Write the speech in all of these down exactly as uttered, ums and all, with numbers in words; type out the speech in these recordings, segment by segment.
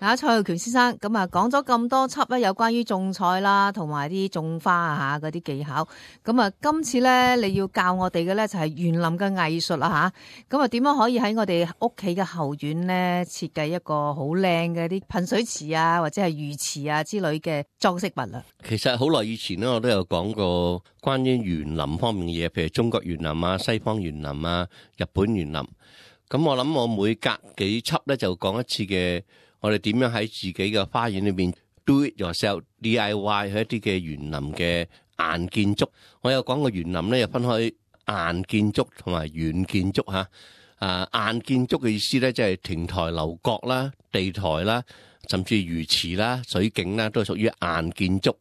啊，蔡浩權先生，咁啊講咗咁多輯咧，有關於種菜啦，同埋啲種花啊嗰啲技巧。咁啊，今次咧你要教我哋嘅咧就係園林嘅藝術啦吓。咁啊，點樣可以喺我哋屋企嘅後院咧設計一個好靚嘅啲噴水池啊，或者係魚池啊之類嘅裝飾物啊？其實好耐以前咧，我都有講過關於園林方面嘅嘢，譬如中國園林啊、西方園林啊、日本園林。咁我諗我每隔幾輯咧就講一次嘅。我哋點樣喺自己嘅花園裏邊 do it yourself D I Y 去一啲嘅園林嘅硬建築。我有講過園林咧，又分開硬建築同埋軟建築嚇。啊，硬建築嘅意思咧，即係亭台樓閣啦、地台啦，甚至魚池啦、水景啦，都係屬於硬建築。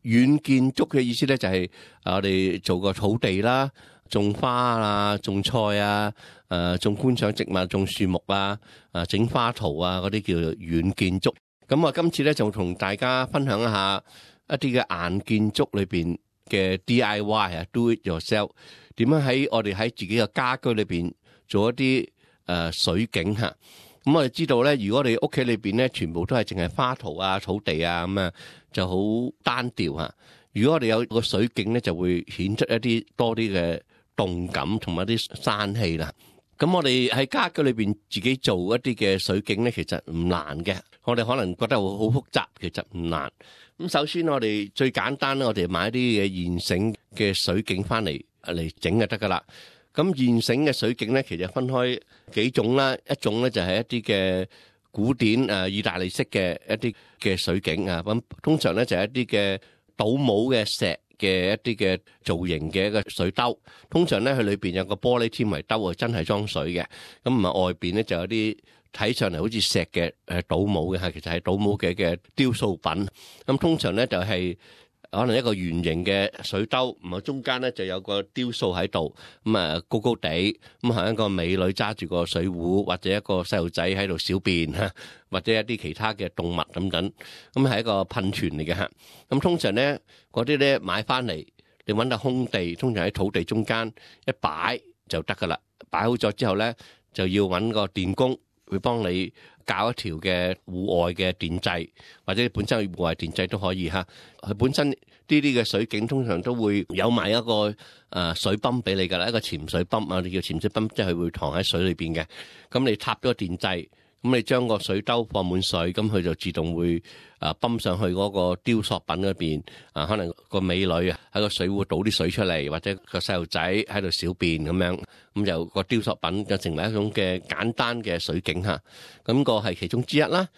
軟建築嘅意思咧，就係我哋做個草地啦。種花啊，種菜啊，誒，種觀賞植物，種樹木啊，誒，整花圖啊，嗰啲叫做軟建築。咁我今次咧就同大家分享一下一啲嘅硬建築裏邊嘅 D I Y 啊 ，do it yourself， 點樣喺我哋喺自己嘅家居裏邊做一啲誒水景吓。咁我哋知道咧，如果你屋企裏邊咧全部都係淨係花圖啊、草地啊咁啊，就好單調吓。如果我哋有個水景咧，就會顯出一啲多啲嘅動感同埋啲生氣啦。咁我哋喺家居裏邊自己做一啲嘅水景咧，其實唔難嘅。我哋可能覺得好好複雜，其實唔難。咁首先我哋最簡單咧，我哋買啲嘅現成嘅水景翻嚟嚟整就得噶啦。咁現成嘅水景咧，其實分開幾種啦。一種咧就係一啲嘅古典誒意大利式嘅一啲嘅水景啊。咁通常咧就係一啲嘅倒模嘅石嘅一啲嘅造型嘅一個水兜，通常咧佢裏邊有個玻璃纖維兜啊，真係裝水嘅。咁唔係外邊咧就有啲睇上嚟好似石嘅誒倒模嘅，係其實係倒模嘅嘅雕塑品。咁通常咧就係可能一個圓形嘅水兜，唔係中間咧就有個雕塑喺度，咁啊高高地，咁係一個美女揸住個水壺，或者一個細路仔喺度小便嚇，或者一啲其他嘅動物等等，咁係一個噴泉嚟嘅嚇。咁通常咧嗰啲咧買翻嚟，你揾到空地，通常喺土地中間一擺就得噶啦。擺好咗之後咧，就要揾個電工會幫你搞一條嘅戶外嘅電掣，或者本身戶外電掣都可以嚇。佢本身呢啲嘅水景通常都會有埋一個誒水泵俾你噶啦，一個潛水泵啊，你叫潛水泵，即係佢會躺喺水裏邊嘅。咁你插咗個電掣，咁你將個水兜放滿水，咁佢就自動會啊泵上去嗰個雕塑品嗰邊啊，可能個美女啊喺個水壺倒啲水出嚟，或者個細路仔喺度小便咁樣，咁就個雕塑品就成為一種嘅簡單嘅水景嚇。咁個係其中之一啦。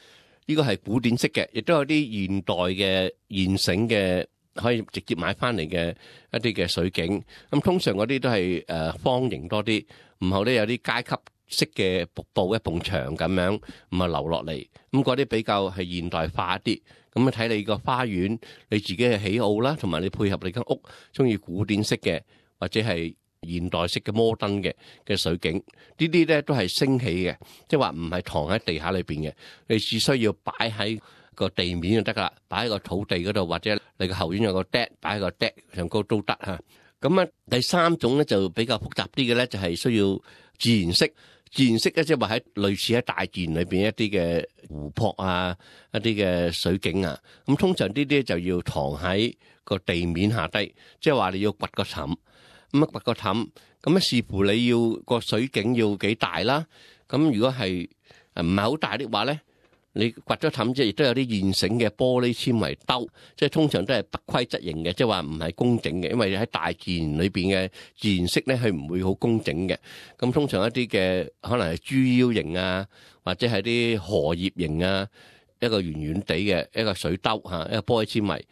呢個係古典式嘅，亦都有啲現代嘅現成嘅可以直接買翻嚟嘅一啲嘅水景。咁通常嗰啲都係誒方形多啲，然後咧有啲階級式嘅瀑布一埲牆咁樣，咁啊流落嚟。咁嗰啲比較係現代化一啲。咁啊睇你個花園，你自己嘅喜好啦，同埋你配合你間屋，中意古典式嘅或者係現代式嘅摩登嘅嘅水景，呢啲咧都係升起嘅，即係話唔係躺喺地下裏邊嘅，你只需要擺喺個地面就得噶啦，擺喺個土地嗰度，或者你個後院有個 deck， 擺喺個 deck 上高都得嚇。咁啊，第三種咧就比較複雜啲嘅咧，就係需要自然式。自然式咧即係話喺類似喺大自然裏邊一啲嘅湖泊啊，一啲嘅水景啊。咁通常呢啲就要躺喺個地面下低，即係話你要掘個氹。咁啊掘個氹，咁啊視乎你要個水景要幾大啦。咁如果係唔係好大的話咧，你掘咗氹之後，亦都有啲現成嘅玻璃纖維兜，即係通常都係不規則型嘅，即係話唔係工整嘅，因為喺大自然裏邊嘅自然式咧，係唔會好工整嘅。咁通常一啲嘅可能係豬腰型啊，或者係啲荷葉型啊，一個圓圓地嘅一個水兜嚇，一個玻璃纖維。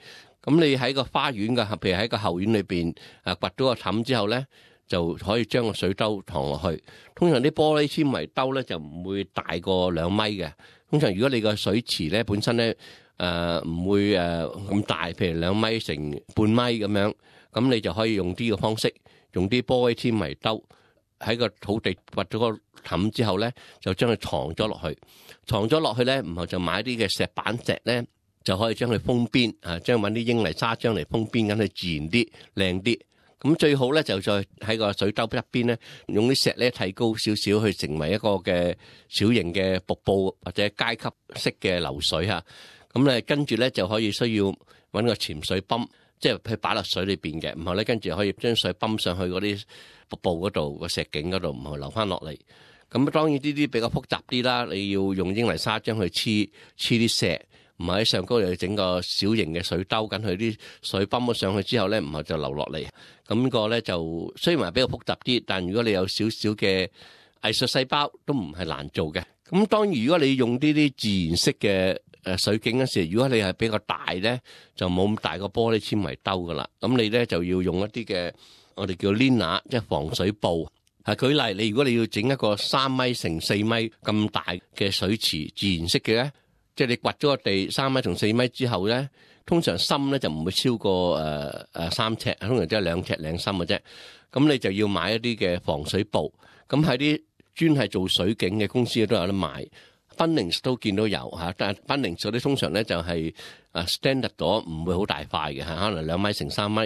咁你喺個花園嘅，譬如喺個後院裏邊啊，掘咗個氹之後咧，就可以將個水兜躺落去。通常啲玻璃纖維兜咧就唔會大過兩米嘅。通常如果你個水池咧本身咧誒唔會誒咁大，譬如兩米乘半米咁樣，咁你就可以用啲嘅方式，用啲玻璃纖維兜喺個土地掘咗個氹之後咧，就將佢藏咗落去。藏咗落去咧，然後就買啲嘅石板石咧。就可以將佢封邊啊，將揾啲英泥砂漿嚟封邊，咁佢自然啲、靚啲。咁最好咧就再喺個水兜一邊咧，用啲石咧提高少少，去成為一個嘅小型嘅瀑布或者階級式嘅流水嚇。咁咧跟住咧就可以需要揾個潛水泵，即係去擺落水裏邊嘅，然後咧跟住可以將水泵上去嗰啲瀑布嗰度個石徑嗰度，唔係流翻落嚟。咁當然呢啲比較複雜啲啦，你要用英泥沙漿去黐黐啲石。唔係喺上高又整個小型嘅水兜緊佢啲水泵咗上去之後咧，唔係就流落嚟。咁個咧就雖然話比較複雜啲，但如果你有少少嘅藝術細胞，都唔係難做嘅。咁當然如果你用呢啲自然式嘅誒水景嗰時，如果你係比較大咧，就冇咁大個玻璃纖維兜噶啦。咁你咧就要用一啲嘅我哋叫 liner， 即係防水布。係舉例，你如果你要整一個三米乘四米咁大嘅水池，自然式嘅咧。即係你掘咗個地三米同四米之後咧，通常深咧就唔會超過誒誒三尺，通常只係兩尺零深嘅啫。咁你就要買一啲嘅防水布。咁喺啲專係做水景嘅公司都有得賣，賓寧都見到有嚇。但係賓寧嗰啲通常咧就係誒 standard 咗，唔會好大塊嘅嚇，可能兩米乘三米。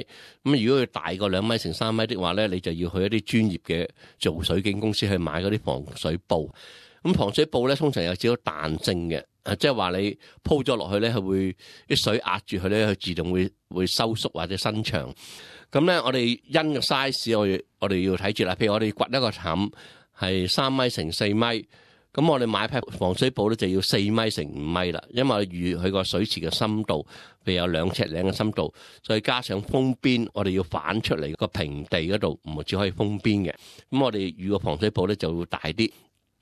咁如果佢大過兩米乘三米的話咧，你就要去一啲專業嘅做水景公司去買嗰啲防水布。咁防水布咧通常有少少彈性嘅。誒，即係話你鋪咗落去咧，係會啲水壓住佢咧，佢自動會會收縮或者伸長。咁咧，我哋因個 size，我哋我哋要睇住啦。譬如我哋掘一個氹係三米乘四米，咁我哋買批防水布咧就要四米乘五米啦。因為預佢個水池嘅深度，譬如有兩尺零嘅深度，再加上封邊，我哋要反出嚟個平地嗰度，唔係只可以封邊嘅。咁我哋預個防水布咧就會大啲。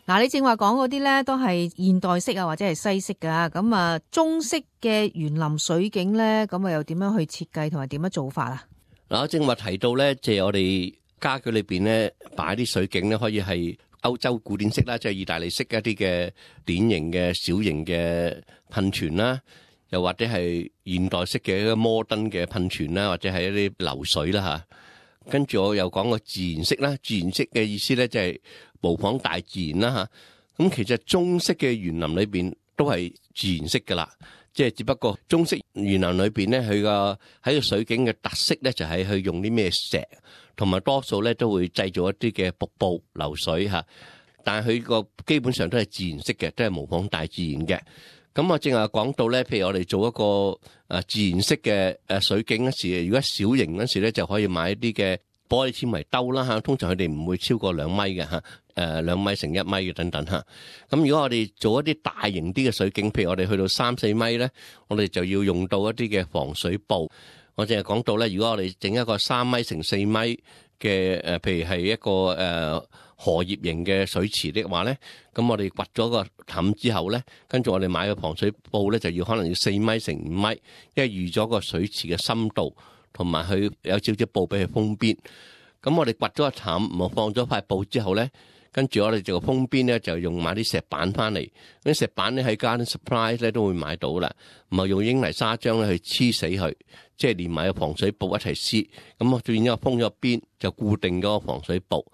嗱，你正話講嗰啲咧，都係現代式啊，或者係西式噶。咁啊，中式嘅園林水景咧，咁啊又點樣去設計同埋點樣做法啊？嗱，我正話提到咧，即係我哋家居裏邊咧擺啲水景咧，可以係歐洲古典式啦，即係意大利式一啲嘅典型嘅小型嘅噴泉啦，又或者係現代式嘅一個摩登嘅噴泉啦，或者係一啲流水啦嚇。跟住我又講個自然式啦，自然式嘅意思咧就係模仿大自然啦嚇。咁其實中式嘅園林裏邊都係自然式噶啦，即係只不過中式園林裏邊咧，佢個喺個水景嘅特色咧就係去用啲咩石，同埋多數咧都會製造一啲嘅瀑布流水嚇。但係佢個基本上都係自然式嘅，都係模仿大自然嘅。咁我正話講到咧，譬如我哋做一個誒自然式嘅誒水景嗰時，如果小型嗰時咧，就可以買一啲嘅玻璃纖維兜啦嚇。通常佢哋唔會超過兩米嘅嚇，誒兩米乘一米嘅等等嚇。咁如果我哋做一啲大型啲嘅水景，譬如我哋去到三四米咧，我哋就要用到一啲嘅防水布。我淨係講到咧，如果我哋整一個三米乘四米嘅誒，譬如係一個誒。呃荷葉型嘅水池的話咧，咁我哋掘咗個氹之後咧，跟住我哋買個防水布咧，就要可能要四米乘五米，因為預咗個水池嘅深度，同埋佢有少少布俾佢封邊。咁我哋掘咗個氹，我放咗塊布之後咧，跟住我哋就個封邊咧就用買啲石板翻嚟。啲石板咧喺 Garden Supply 咧都會買到啦，唔係用英泥沙漿咧去黐死佢，即係連埋個防水布一齊黐。咁我變咗封咗邊，就固定咗個防水布。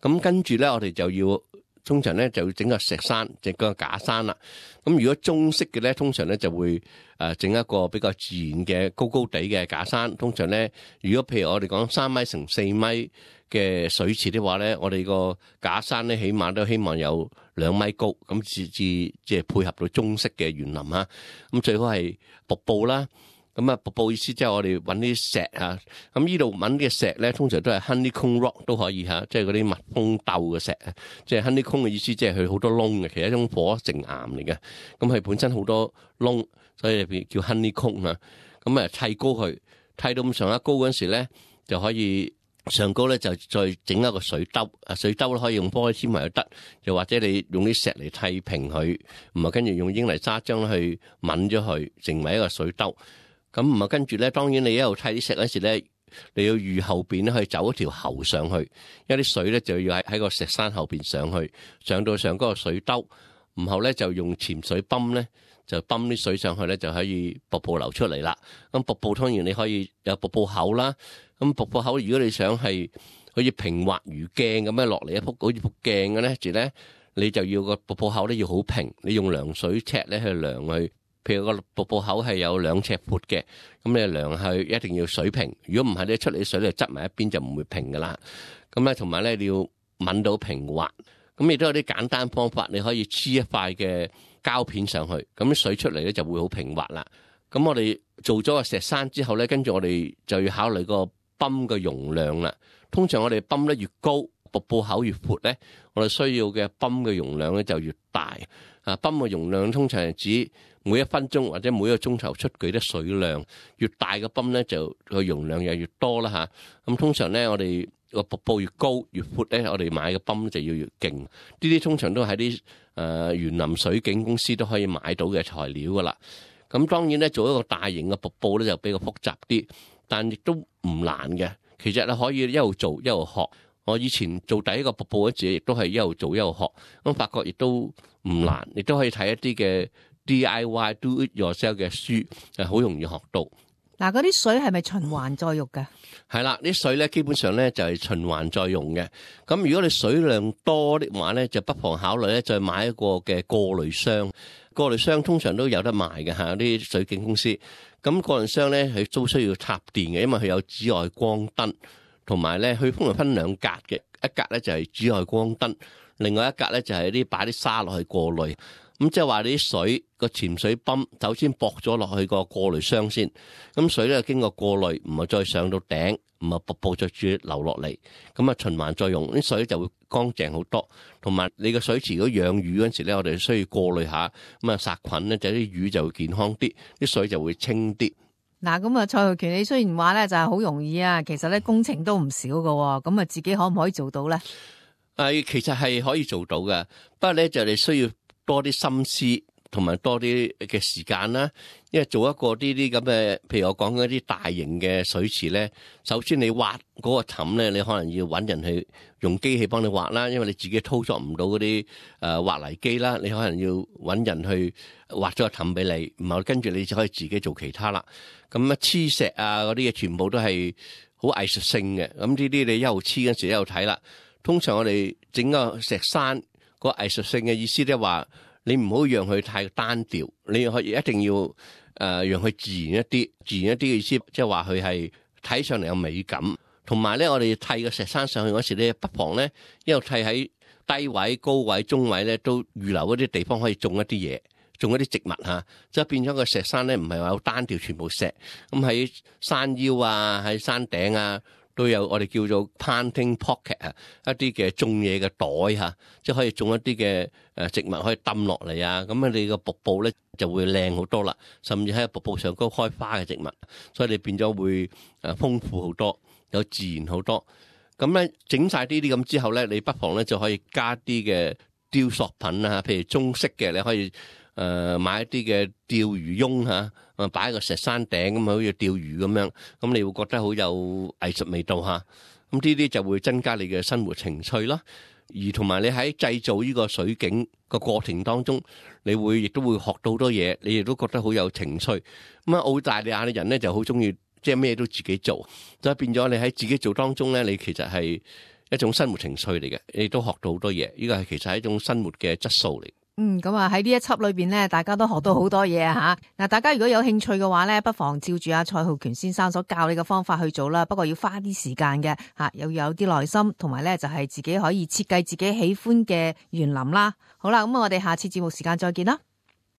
咁跟住咧，我哋就要通常咧就要整個石山，整個假山啦。咁如果中式嘅咧，通常咧就會誒整一個比較自然嘅高高地嘅假山。通常咧，如果譬如我哋講三米乘四米嘅水池的話咧，我哋個假山咧起碼都希望有兩米高，咁至至即係配合到中式嘅園林啊。咁最好係瀑布啦。咁啊，瀑布意思即係我哋揾啲石啊，咁呢度揾啲石咧，通常都係 honeycomb rock 都可以嚇，即係嗰啲蜜蜂竇嘅石啊。即係 honeycomb 嘅意思，即係佢好多窿嘅，其實一種火成岩嚟嘅。咁佢本身好多窿，所以叫 honeycomb 啊。咁啊，砌高佢，砌到咁上下高嗰陣時咧，就可以上高咧就再整一個水兜。啊，水兜咧可以用玻璃纖維又得，又或者你用啲石嚟砌平佢，唔係跟住用英泥沙漿去抿咗佢，成為一個水兜。咁唔係跟住咧，當然你一路砌啲石嗰時咧，你要預後邊咧可以走一條喉上去，因為啲水咧就要喺喺個石山後邊上去，上到上嗰個水兜，然後咧就用潛水泵咧就泵啲水上去咧就可以瀑布流出嚟啦。咁瀑布當然你可以有瀑布口啦，咁瀑布口如果你想係好似平滑如鏡咁樣落嚟一幅好似幅鏡嘅咧，住咧你就要個瀑布口咧要好平，你用量水尺咧去量去。譬如個瀑布口係有兩尺闊嘅，咁你量去一定要水平。如果唔係咧，出嚟啲水咧執埋一邊就唔會平噶啦。咁咧同埋咧你要搵到平滑。咁亦都有啲簡單方法，你可以黐一塊嘅膠片上去，咁啲水出嚟咧就會好平滑啦。咁我哋做咗個石山之後咧，跟住我哋就要考慮個泵嘅容量啦。通常我哋泵得越高，瀑布口越闊咧，我哋需要嘅泵嘅容量咧就越大。啊，泵嘅容量通常係指每一分鐘或者每一個鐘頭出舉的水量，越大嘅泵咧就個容量又越多啦吓。咁通常咧我哋個瀑布越高越闊咧，我哋買嘅泵就要越勁。呢啲通常都喺啲誒園林水景公司都可以買到嘅材料噶啦。咁當然咧做一個大型嘅瀑布咧就比較複雜啲，但亦都唔難嘅。其實你可以一路做一路學。我以前做第一個瀑布嗰陣亦都係一路做一路學，咁發覺亦都唔難，亦都可以睇一啲嘅 D I Y Do It Yourself 嘅書，係好容易學到。嗱，嗰啲水係咪循環再用嘅？係啦，啲水咧基本上咧就係循環再用嘅。咁如果你水量多的話咧，就不妨考慮咧再買一個嘅過濾箱。過濾箱通常都有得賣嘅嚇，啲水景公司。咁過濾箱咧佢都需要插電嘅，因為佢有紫外光燈。同埋咧，佢通常分兩格嘅，一格咧就係紫外光燈，另外一格咧就係啲擺啲沙落去過濾。咁即係話你啲水個潛水泵首先駁咗落去個過濾箱先，咁水咧經過過濾，唔係再上到頂，唔係瀑布再住流落嚟，咁啊循環再用，啲水就會乾淨好多。同埋你個水池如果養魚嗰陣時咧，我哋需要過濾下，咁啊殺菌咧，就啲魚就會健康啲，啲水就會清啲。嗱，咁啊，蔡浩權，你雖然話咧就係好容易啊，其實咧工程都唔少㗎，咁啊自己可唔可以做到咧？誒，其實係可以做到嘅，不過咧就你需要多啲心思同埋多啲嘅時間啦。因為做一個呢啲咁嘅，譬如我講嗰啲大型嘅水池咧，首先你挖嗰個氹咧，你可能要揾人去用機器幫你挖啦，因為你自己操作唔到嗰啲誒挖泥機啦，你可能要揾人去挖咗個氹俾你，然後跟住你就可以自己做其他啦。咁啊黐石啊嗰啲嘢全部都係好藝術性嘅，咁呢啲你一路黐嗰時一路睇啦。通常我哋整個石山個藝術性嘅意思咧話，你唔好讓佢太單調，你可以一定要誒、呃、讓佢自然一啲，自然一啲嘅意思即係話佢係睇上嚟有美感。同埋咧，我哋砌個石山上去嗰時咧，不妨咧一路砌喺低位、高位、中位咧，都預留嗰啲地方可以種一啲嘢。種一啲植物嚇，即係變咗個石山咧，唔係話好單調全部石。咁喺山腰啊，喺山頂啊，都有我哋叫做 planting pocket 啊，一啲嘅種嘢嘅袋嚇，即係可以種一啲嘅誒植物可以抌落嚟啊。咁你個瀑布咧就會靚好多啦，甚至喺瀑布上高開花嘅植物，所以你變咗會誒豐富好多，有自然好多。咁咧整晒呢啲咁之後咧，你不妨咧就可以加啲嘅雕塑品啊，譬如中式嘅，你可以。誒、呃，買一啲嘅釣魚翁吓，啊，擺喺個石山頂咁，好似釣魚咁樣，咁你會覺得好有藝術味道吓。咁呢啲就會增加你嘅生活情趣啦。而同埋你喺製造呢個水景個過程當中，你會亦都會學到好多嘢，你亦都覺得好有情趣。咁啊，澳大利亞嘅人咧就好中意，即係咩都自己做，所以變咗你喺自己做當中咧，你其實係一種生活情趣嚟嘅，你都學到好多嘢。呢個係其實係一種生活嘅質素嚟。嗯，咁啊喺呢一輯裏邊咧，大家都學到好多嘢啊吓！嗱，大家如果有興趣嘅話咧，不妨照住阿蔡浩權先生所教你嘅方法去做啦。不過要花啲時間嘅吓，又要有啲耐心，同埋咧就係自己可以設計自己喜歡嘅園林啦。好啦，咁我哋下次節目時間再見啦。